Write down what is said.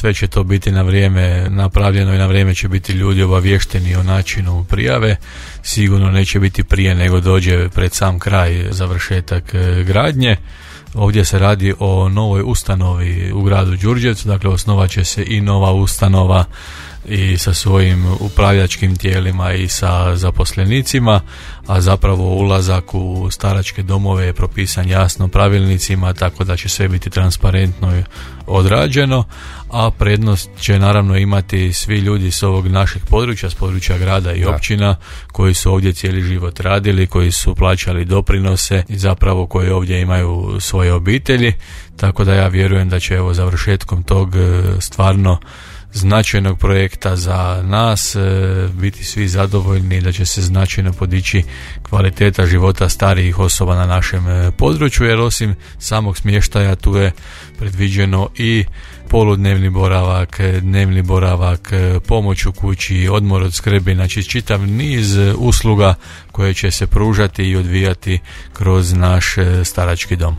sve će to biti na vrijeme napravljeno i na vrijeme će biti ljudi obavješteni o načinu prijave. Sigurno neće biti prije nego dođe pred sam kraj završetak gradnje. Ovdje se radi o novoj ustanovi u gradu Đurđevcu, dakle osnovat će se i nova ustanova i sa svojim upravljačkim tijelima i sa zaposlenicima, a zapravo ulazak u staračke domove je propisan jasno pravilnicima, tako da će sve biti transparentno odrađeno, a prednost će naravno imati svi ljudi s ovog našeg područja, s područja grada i općina koji su ovdje cijeli život radili, koji su plaćali doprinose i zapravo koji ovdje imaju svoje obitelji, tako da ja vjerujem da će evo završetkom tog stvarno značajnog projekta za nas biti svi zadovoljni i da će se značajno podići kvaliteta života starijih osoba na našem području, jer osim samog smještaja tu je predviđeno i poludnevni boravak, dnevni boravak, pomoć u kući, odmor od skrbi, znači čitav niz usluga koje će se pružati i odvijati kroz naš starački dom.